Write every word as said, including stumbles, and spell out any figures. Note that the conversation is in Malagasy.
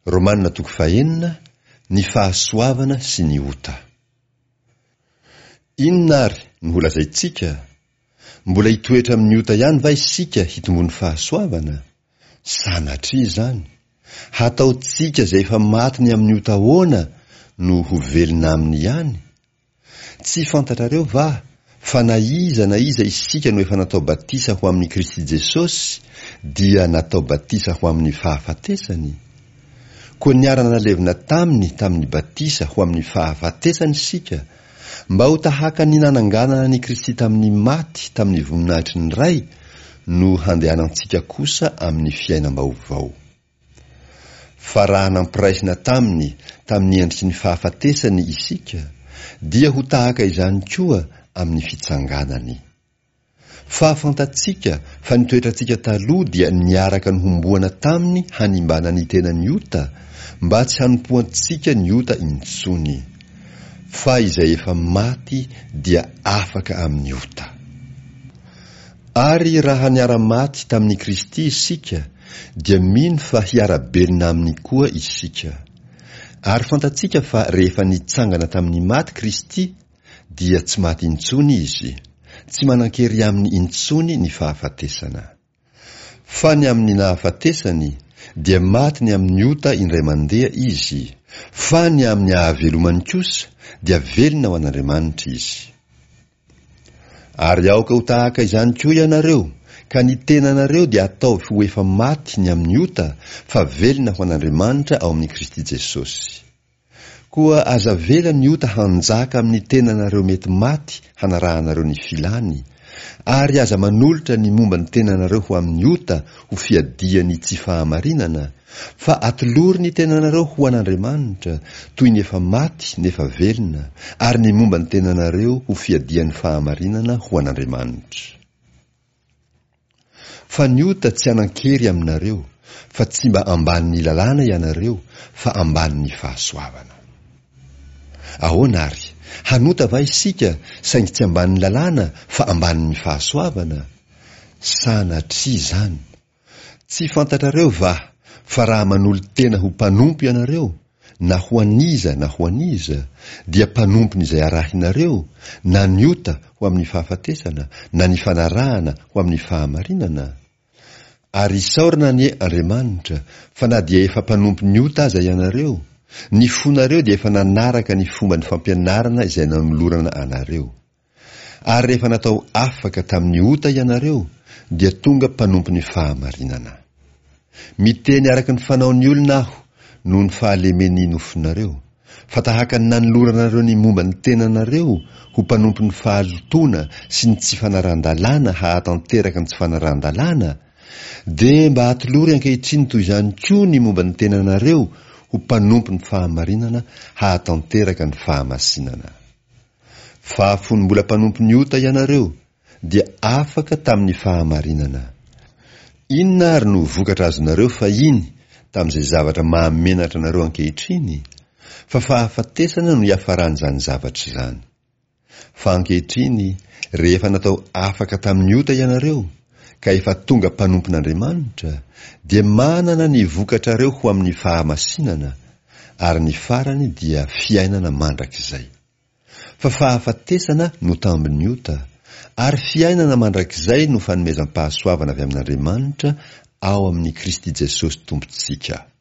Romana toko fahenina, ny fahasoavana sy ny ota. Inona ary no holazaintsika? Mbola hitoetra amin'ny ota ihany va isika hitombon'ny fahasoavana? Sanatria izany! Hataontsika izay efa maty ny amin'ny ota ahoana no ho velona aminy ihany? Tsy fantatrareo va fa na iza na iza isika no efa natao batisa ho amin'i Kristy Jesosy dia natao batisa ho amin'ny fahafatesany? Koa niara-nalevina taminy tamin'ny batisa ho amin'ny fahafatesana isika, mba ho tahaka ny nananganana an'i Kristy tamin'ny maty tamin'ny voninahitry ny Ray no handehanantsika kosa amin'ny fiainam-baovao. Fa raha nampiraisina taminy tamin'ny endriky ny fahafatesany isika, dia ho tahaka izany koa amin'ny fitsanganany. Fa fantatsika fa ny toetrantsika taloha dia niaraka nohomboana taminy hanimbana ny tenan'ny ota, mba tsy hanompoantsika ny ota intsony. Fa izay efa maty dia afaka amin'ny ota. Ary raha niara-maty tamin'i Kristy isika, dia mino fa hiara-belona aminy koa isika. Ary fantatsika fa rehefa nitsangana tamin'ny maty Kristy, dia tsy maty intsony izy, tsy manan-kery aminy intsony ny fahafatesana. Fa ny amin'ny nahafatesany, dia maty ny amin'ny ota indray mandeha izy, fa ny amin'ny ahavelomany kosa, dia velona ho an'Andriamanitra izy. Ary aoka ho tahaka izany koa ianareo, ka ny tenanareo dia ataovy ho efa maty ny amin'ny ota, fa velona ho an'Andriamanitra ao amin'i Kristy Jesosy. Koa aza avela ny ota hanjaka amin'ny tenanareo mety maty hanarahanareo ny filany, ary aza manolotra ny momba ny tenanareo ho amin'ny ota ho fiadian'ny tsy fahamarinana, fa atolory ny tenanareo ho an'Andriamanitra, toy ny efa maty nefa velona, ary ny momba ny tenanareo ho fiadian'ny fahamarinana ho an'Andriamanitra. Fa ny ota tsy hanan-kery aminareo, fa tsy mba ambanin'ny lalàna ianareo, fa ambanin'ny fahasoavana. Ahoana ary? Hanota va isika, saingy tsy ambanin'ny lalàna, fa ambanin'ny fahasoavana? Sanatria izany! Tsy fantatrareo va fa raha manolo-tena ho mpanompo ianareo, na ho an'iza na ho an'iza, dia mpanompon'izay arahinareo, na ny ota ho amin'ny fahafatesana, na ny fanarahana ho amin'ny fahamarinana? Ary isaorana anie Andriamanitra fa na dia efa mpanompon'ny ota aza ianareo, ny fonareo dia efa nanaraka ny fomban'ny fampianarana izay nanolorana anareo. Ary rehefa natao afaka tamin'ny ota ianareo, dia tonga mpanompon'ny fahamarinana. Miteny araka ny fanaon'ny olona aho noho ny fahalemen'ny nofonareo, fa tahaka ny nanoloranareo ny momba ny tenanareo ho mpanompon'ny fahalotoana sy ny tsy fanarahan-dalàna hahatanteraka ny tsy fanarahan-dalàna, dia mba atolory ankehitriny toy izany koa ny momba ny tenanareo ho mpanompon'ny fahamarinana hahatanteraka ny fahamasinana. Fa fony mbola mpanompon'ny ota ianareo, dia afaka tamin'ny fahamarinana. Inona ary no vokatra azonareo fahiny tamin'izay zavatra mahamenatra anareo ankehitriny? Fa fahafatesana no iafaran'izany zavatra izany. Fa ankehitriny, rehefa natao afaka tamin'ny ota ianareo, ka efa tonga mpanompon'Andriamanitra, dia manana ny vokatrareo ho amin'ny fahamasinana, ary ny farany dia fiainana mandrakizay. Fa fahafatesana no tambin'ny ota, ary fiainana mandrakizay no fanomezam-pahasoavana avy amin'Andriamanitra ao amin'i Kristy Jesosy Tompontsika.